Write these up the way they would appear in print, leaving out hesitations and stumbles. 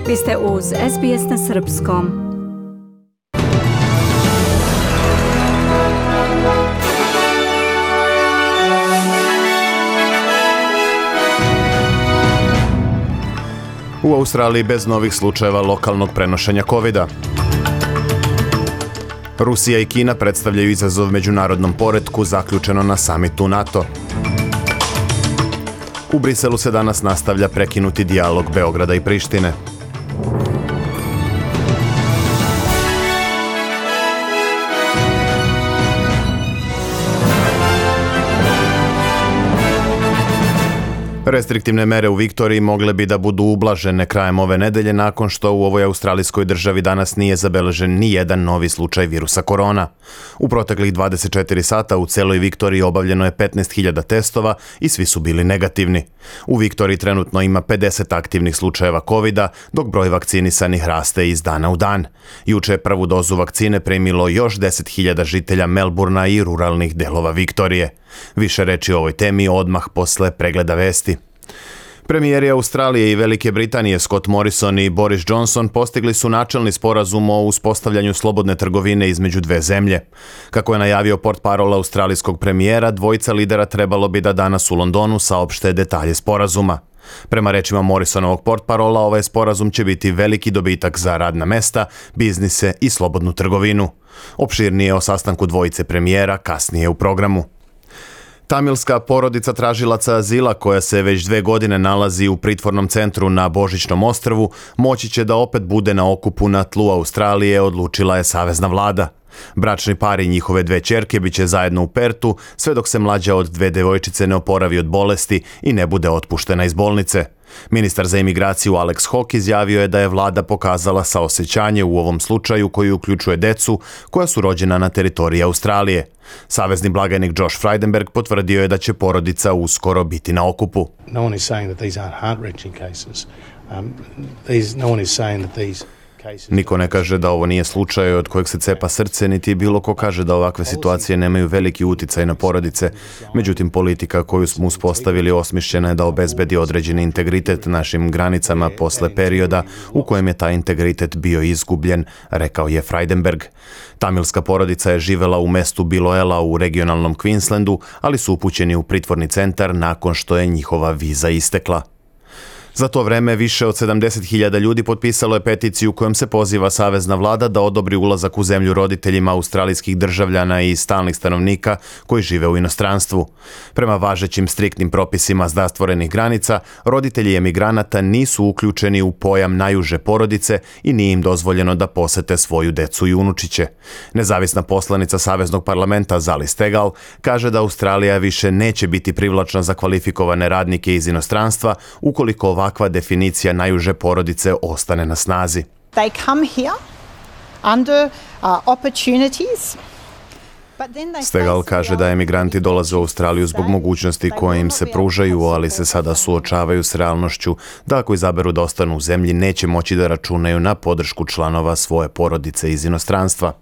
Vi ste uz SBS na srpskom. U Australiji bez novih slučajeva lokalnog prenošenja COVID-a. Rusija i Kina predstavljaju izazov međunarodnom poretku, zaključeno na samitu NATO. U Briselu se danas nastavlja prekinuti dijalog Beograda i Prištine. Restriktivne mere u Viktoriji mogle bi da budu ublažene krajem ove nedelje nakon što u ovoj australijskoj državi danas nije zabeležen ni jedan novi slučaj virusa korona. U proteklih 24 sata u celoj Viktoriji obavljeno je 15.000 testova i svi su bili negativni. U Viktoriji trenutno ima 50 aktivnih slučajeva COVID-a, dok broj vakcinisanih raste iz dana u dan. Juče je prvu dozu vakcine primilo još 10.000 žitelja Melburna i ruralnih delova Viktorije. Više reči o ovoj temi odmah posle pregleda vesti. Premijeri Australije i Velike Britanije Scott Morrison i Boris Johnson postigli su načelni sporazum o uspostavljanju slobodne trgovine između dve zemlje. Kako je najavio portparol australijskog premijera, dvojica lidera trebalo bi da danas u Londonu saopšte detalje sporazuma. Prema rečima Morrisonovog portparola, ovaj sporazum će biti veliki dobitak za radna mesta, biznise i slobodnu trgovinu. Opširnije o sastanku dvojice premijera kasnije u programu. Tamilska porodica tražilaca azila koja se već 2 godine nalazi u pritvornom centru na Božićnom ostrvu moći će da opet bude na okupu na tlu Australije, odlučila je savezna vlada. Bračni par i njihove 2 ćerke biće zajedno u Pertu sve dok se mlađa od 2 devojčice ne oporavi od bolesti i ne bude otpuštena iz bolnice. Ministar za imigraciju Alex Hawke izjavio je da je vlada pokazala saosećanje u ovom slučaju koji uključuje decu koja su rođena na teritoriji Australije. Savezni blagajnik Josh Frydenberg potvrdio je da će porodica uskoro biti na okupu. No one is saying that these aren't heart-wrenching cases. No one is saying that these... Niko ne kaže da ovo nije slučaj od kojeg se cepa srce, niti bilo ko kaže da ovakve situacije nemaju veliki uticaj na porodice. Međutim, politika koju smo uspostavili osmišljena je da obezbedi određeni integritet našim granicama posle perioda u kojem je taj integritet bio izgubljen, rekao je Frydenberg. Tamilska porodica je živela u mestu Biloela u regionalnom Queenslandu, ali su upućeni u pritvorni centar nakon što je njihova viza istekla. Za to vreme više od 70.000 ljudi potpisalo je peticiju kojom se poziva savezna vlada da odobri ulazak u zemlju roditeljima australijskih državljana i stalnih stanovnika koji žive u inostranstvu. Prema važećim striktnim propisima zatvorenih granica, roditelji emigranata nisu uključeni u pojam najuže porodice i nije im dozvoljeno da posete svoju decu i unučiće. Nezavisna poslanica Saveznog parlamenta Zali Steggall kaže da Australija više neće biti privlačna za kvalifikovane radnike iz inostranstva ukoliko ovakva definicija najuže porodice ostane na snazi. They come here under opportunities. Steggall kaže da emigranti dolaze u Australiju zbog mogućnosti koje im se pružaju, ali se sada suočavaju s realnošću da ako izaberu da ostanu u zemlji neće moći da računaju na podršku članova svoje porodice iz inostranstva.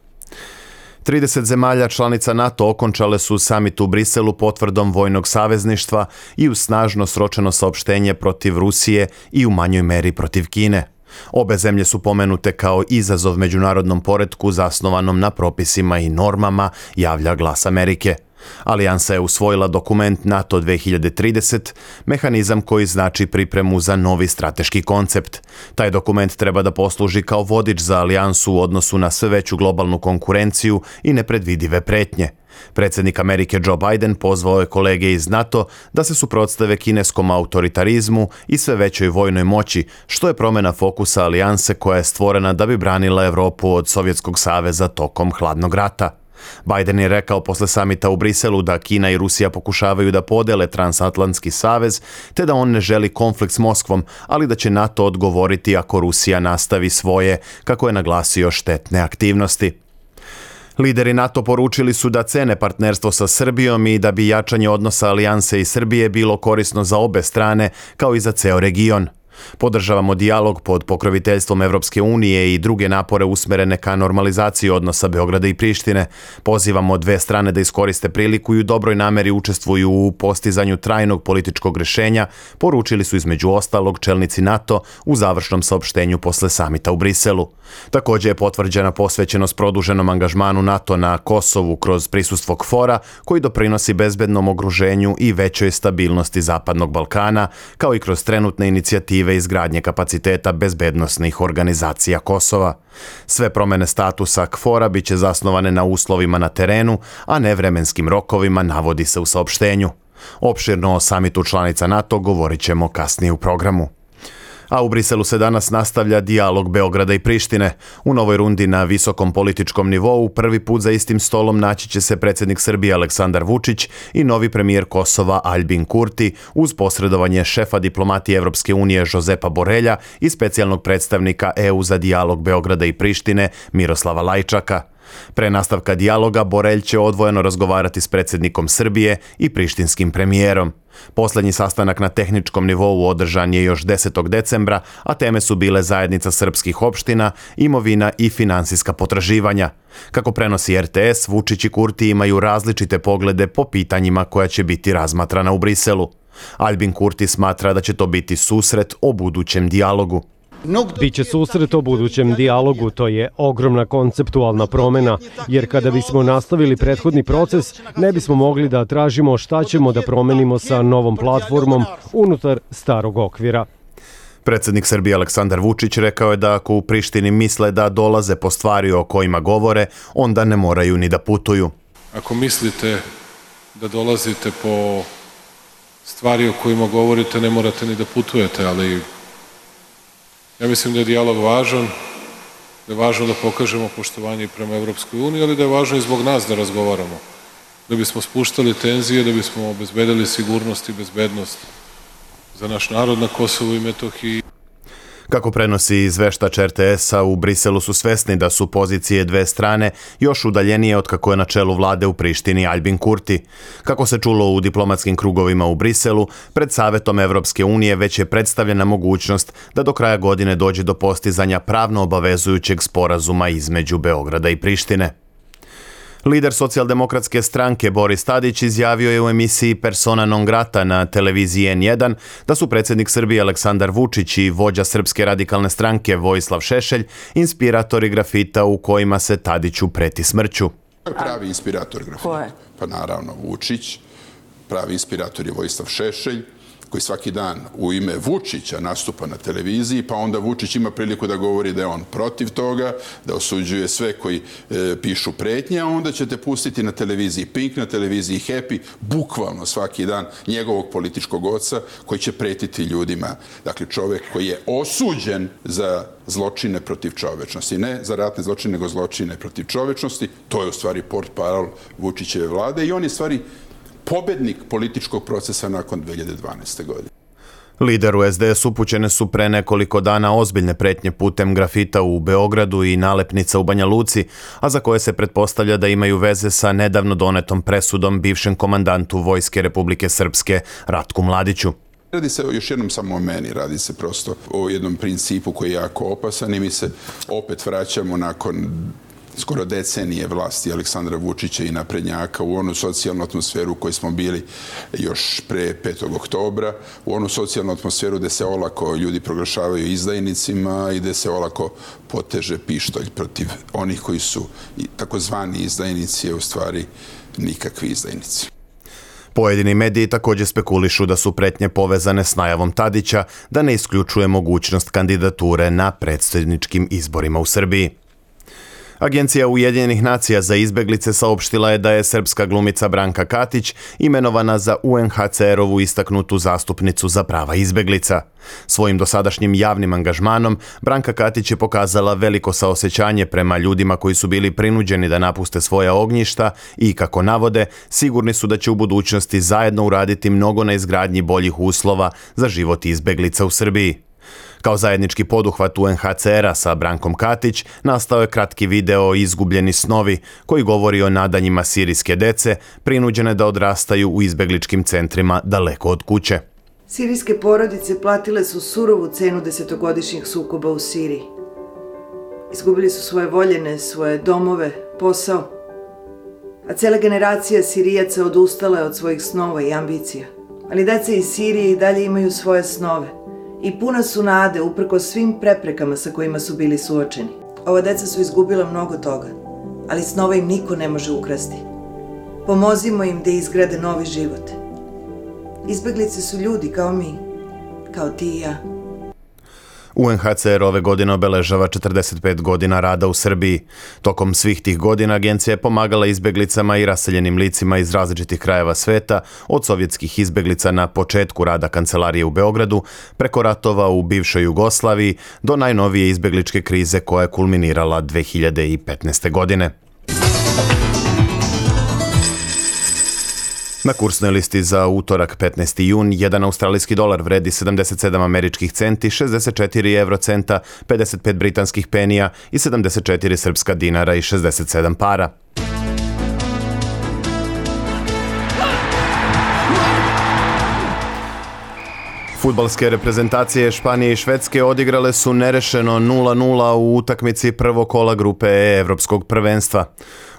30 zemalja članica NATO okončale su samit u Briselu potvrdom vojnog savezništva i uz snažno sročeno saopštenje protiv Rusije i u manjoj meri protiv Kine. Obe zemlje su pomenute kao izazov međunarodnom poretku zasnovanom na propisima i normama, javlja Glas Amerike. Alijansa je usvojila dokument NATO 2030, mehanizam koji znači pripremu za novi strateški koncept. Taj dokument treba da posluži kao vodič za alijansu u odnosu na sve veću globalnu konkurenciju i nepredvidive pretnje. Predsjednik Amerike Joe Biden pozvao je kolege iz NATO da se suprotstave kineskom autoritarizmu i sve većoj vojnoj moći, što je promjena fokusa alijanse koja je stvorena da bi branila Evropu od Sovjetskog saveza tokom hladnog rata. Biden je rekao posle samita u Briselu da Kina i Rusija pokušavaju da podele transatlantski savez, te da on ne želi konflikt s Moskvom, ali da će NATO odgovoriti ako Rusija nastavi svoje, kako je naglasio, štetne aktivnosti. Lideri NATO poručili su da cene partnerstvo sa Srbijom i da bi jačanje odnosa alijanse i Srbije bilo korisno za obe strane, kao i za ceo region. Podržavamo dijalog pod pokroviteljstvom Evropske unije i druge napore usmerene ka normalizaciji odnosa Beograda i Prištine. Pozivamo dve strane da iskoriste priliku i u dobroj nameri učestvuju u postizanju trajnog političkog rešenja, poručili su između ostalog čelnici NATO u završnom saopštenju posle samita u Briselu. Također je potvrđena posvećenost produženom angažmanu NATO na Kosovu kroz prisustvo KFOR-a, koji doprinosi bezbednom okruženju i većoj stabilnosti Zapadnog Balkana, kao i kroz trenutne inicijative izgradnje kapaciteta bezbednosnih organizacija Kosova. Sve promene statusa KFOR-a biće zasnovane na uslovima na terenu, a ne vremenskim rokovima, navodi se u saopštenju. Opširno o samitu članica NATO govorit ćemo kasnije u programu. A u Briselu se danas nastavlja dijalog Beograda i Prištine. U novoj rundi na visokom političkom nivou prvi put za istim stolom naći će se predsjednik Srbije Aleksandar Vučić i novi premijer Kosova Aljbin Kurti uz posredovanje šefa diplomatije Evropske unije Jozepa Borelja i specijalnog predstavnika EU za dijalog Beograda i Prištine Miroslava Lajčaka. Pre nastavka dijaloga Borelj će odvojeno razgovarati s predsjednikom Srbije i prištinskim premijerom. Poslednji sastanak na tehničkom nivou održan je još 10. decembra, a teme su bile zajednica srpskih opština, imovina i finansijska potraživanja. Kako prenosi RTS, Vučić i Kurti imaju različite poglede po pitanjima koja će biti razmatrana u Briselu. Aljbin Kurti smatra da će to biti susret o budućem dijalogu. Biće susret o budućem dijalogu, to je ogromna konceptualna promena, jer kada bismo nastavili prethodni proces, ne bismo mogli da tražimo šta ćemo da promenimo sa novom platformom unutar starog okvira. Predsjednik Srbije Aleksandar Vučić rekao je da ako u Prištini misle da dolaze po stvari o kojima govore, onda ne moraju ni da putuju. Ako mislite da dolazite po stvari o kojima govorite, ne morate ni da putujete, ali ja mislim da je dijalog važan, da je važno da pokažemo poštovanje i prema Evropskoj uniji, ali da je važno i zbog nas da razgovaramo, da bismo spuštali tenzije, da bismo obezbedili sigurnost i bezbednost za naš narod na Kosovu i Metohiji. Kako prenosi izveštač RTS-a, u Briselu su svesni da su pozicije dve strane još udaljenije od kako je na čelu vlade u Prištini Aljbin Kurti. Kako se čulo u diplomatskim krugovima u Briselu, pred Savetom Evropske unije već je predstavljena mogućnost da do kraja godine dođe do postizanja pravno obavezujućeg sporazuma između Beograda i Prištine. Lider socijaldemokratske stranke Boris Tadić izjavio je u emisiji Persona non grata na televiziji N1 da su predsjednik Srbije Aleksandar Vučić i vođa Srpske radikalne stranke Vojislav Šešelj inspiratori grafita u kojima se Tadiću preti smrću. Pravi inspirator grafita? Pa naravno Vučić, pravi inspirator je Vojislav Šešelj, koji svaki dan u ime Vučića nastupa na televiziji, pa onda Vučić ima priliku da govori da je on protiv toga, da osuđuje sve koji pišu pretnje, a onda ćete pustiti na televiziji Pink, na televiziji Happy, bukvalno svaki dan njegovog političkog oca koji će pretiti ljudima. Dakle, čovjek koji je osuđen za zločine protiv čovečnosti. Ne za ratne zločine, nego zločine protiv čovečnosti. To je u stvari portparol Vučićeve vlade i on je u stvari pobednik političkog procesa nakon 2012. godine. Lideru SDS upućene su pre nekoliko dana ozbiljne pretnje putem grafita u Beogradu i nalepnica u Banja Luci, a za koje se pretpostavlja da imaju veze sa nedavno donetom presudom bivšem komandantu Vojske Republike Srpske Ratku Mladiću. Radi se još jednom samo o meni, radi se prosto o jednom principu koji je jako opasan i mi se opet vraćamo nakon skoro decenije vlasti Aleksandra Vučića i naprednjaka u onu socijalnu atmosferu u kojoj smo bili još pre 5. oktobra, u onu socijalnu atmosferu gde se olako ljudi proglašavaju izdajnicima i gde se olako poteže pištolj protiv onih koji su takozvani izdajnici, a u stvari nikakvi izdajnici. Pojedini mediji također spekulišu da su pretnje povezane s najavom Tadića da ne isključuje mogućnost kandidature na predsjedničkim izborima u Srbiji. Agencija Ujedinjenih nacija za izbeglice saopštila je da je srpska glumica Branka Katić imenovana za UNHCR-ovu istaknutu zastupnicu za prava izbeglica. Svojim dosadašnjim javnim angažmanom Branka Katić je pokazala veliko saosećanje prema ljudima koji su bili prinuđeni da napuste svoja ognjišta i, kako navode, sigurni su da će u budućnosti zajedno uraditi mnogo na izgradnji boljih uslova za život izbeglica u Srbiji. Kao zajednički poduhvat UNHCR-a sa Brankom Katić nastao je kratki video Izgubljeni snovi, koji govori o nadanjima sirijske dece prinuđene da odrastaju u izbegličkim centrima daleko od kuće. Sirijske porodice platile su surovu cenu 10-godišnjih sukoba u Siriji. Izgubili su svoje voljene, svoje domove, posao, a cela generacija Sirijaca odustala je od svojih snova i ambicija. Ali deca iz Sirije i dalje imaju svoje snove i puna su nade uprkos svim preprekama sa kojima su bili suočeni. Ova deca su izgubila mnogo toga, ali snova im niko ne može ukrasti. Pomozimo im da izgrade novi život. Izbeglice su ljudi kao mi, kao ti i ja. UNHCR ove godine obeležava 45 godina rada u Srbiji. Tokom svih tih godina agencija je pomagala izbeglicama i raseljenim licima iz različitih krajeva sveta, od sovjetskih izbeglica na početku rada kancelarije u Beogradu, preko ratova u bivšoj Jugoslaviji, do najnovije izbegličke krize koja je kulminirala 2015. godine. Na kursnoj listi za utorak 15. jun, jedan australijski dolar vredi 77 američkih centi, 64 eurocenta, 55 britanskih penija i 74 srpska dinara i 67 para. Fudbalske reprezentacije Španije i Švedske odigrale su nerešeno 0-0 u utakmici prvog kola grupe E Evropskog prvenstva.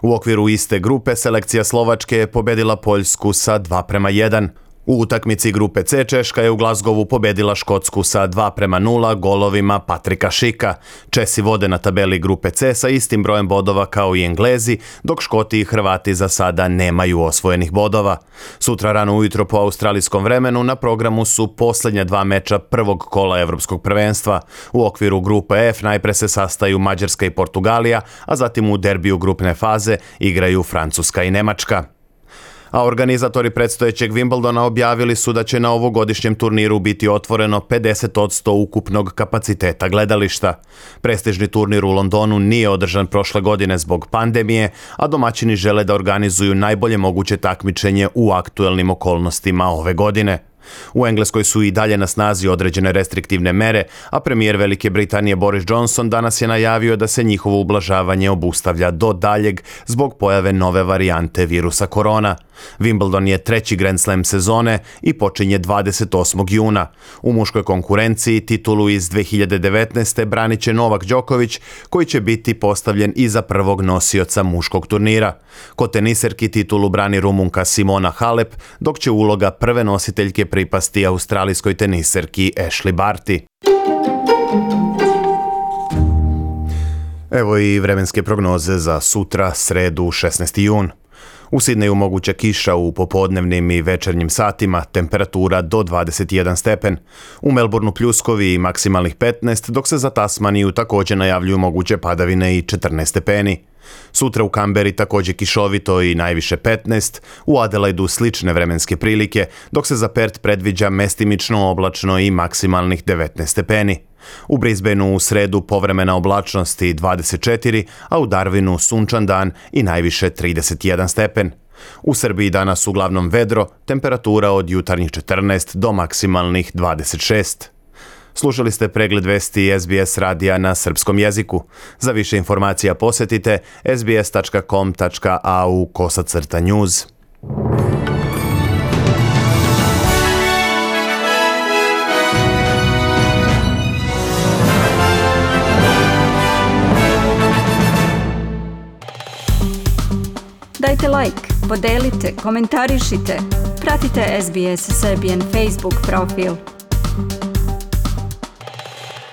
U okviru iste grupe selekcija Slovačke je pobedila Poljsku sa 2:1. U utakmici grupe C Češka je u Glazgovu pobedila Škotsku sa 2:0 golovima Patrika Šika. Česi vode na tabeli grupe C sa istim brojem bodova kao i Englezi, dok Škoti i Hrvati za sada nemaju osvojenih bodova. Sutra rano ujutro po australijskom vremenu na programu su posljednja dva meča prvog kola Evropskog prvenstva. U okviru grupe F najpre se sastaju Mađarska i Portugalija, a zatim u derbiju grupne faze igraju Francuska i Nemačka. A organizatori predstojećeg Wimbledona objavili su da će na ovogodišnjem turniru biti otvoreno 50% ukupnog kapaciteta gledališta. Prestižni turnir u Londonu nije održan prošle godine zbog pandemije, a domaćini žele da organizuju najbolje moguće takmičenje u aktuelnim okolnostima ove godine. U Engleskoj su i dalje na snazi određene restriktivne mere, a premijer Velike Britanije Boris Johnson danas je najavio da se njihovo ublažavanje obustavlja do daljeg zbog pojave nove varijante virusa korona. Wimbledon je treći Grand Slam sezone i počinje 28. juna. U muškoj konkurenciji titulu iz 2019. branit će Novak Đoković, koji će biti postavljen iza prvog nosioca muškog turnira. Kod teniserki titulu brani Rumunka Simona Halep, dok će uloga prve nositeljke pripasti australijskoj teniserki Ashley Barty. Evo i vremenske prognoze za sutra, sredu, 16. jun. U Sidneju moguća kiša u popodnevnim i večernjim satima, temperatura do 21 stepen. U Melbourneu pljuskovi i maksimalnih 15, dok se za Tasmaniju također najavljuju moguće padavine i 14 stepeni. Sutra u Kamberi također kišovito i najviše 15, u Adelaidu slične vremenske prilike, dok se za Perth predviđa mestimično oblačno i maksimalnih 19 stepeni. U Brisbaneu u sredu povremena oblačnost i 24, a u Darwinu sunčan dan i najviše 31 stepen. U Srbiji danas uglavnom vedro, temperatura od jutarnjih 14 do maksimalnih 26. Slušali ste pregled vesti SBS radija na srpskom jeziku. Za više informacija posjetite sbs.com.au/news. Dajte like, podelite, komentarišite. Pratite SBS Serbian Facebook profil.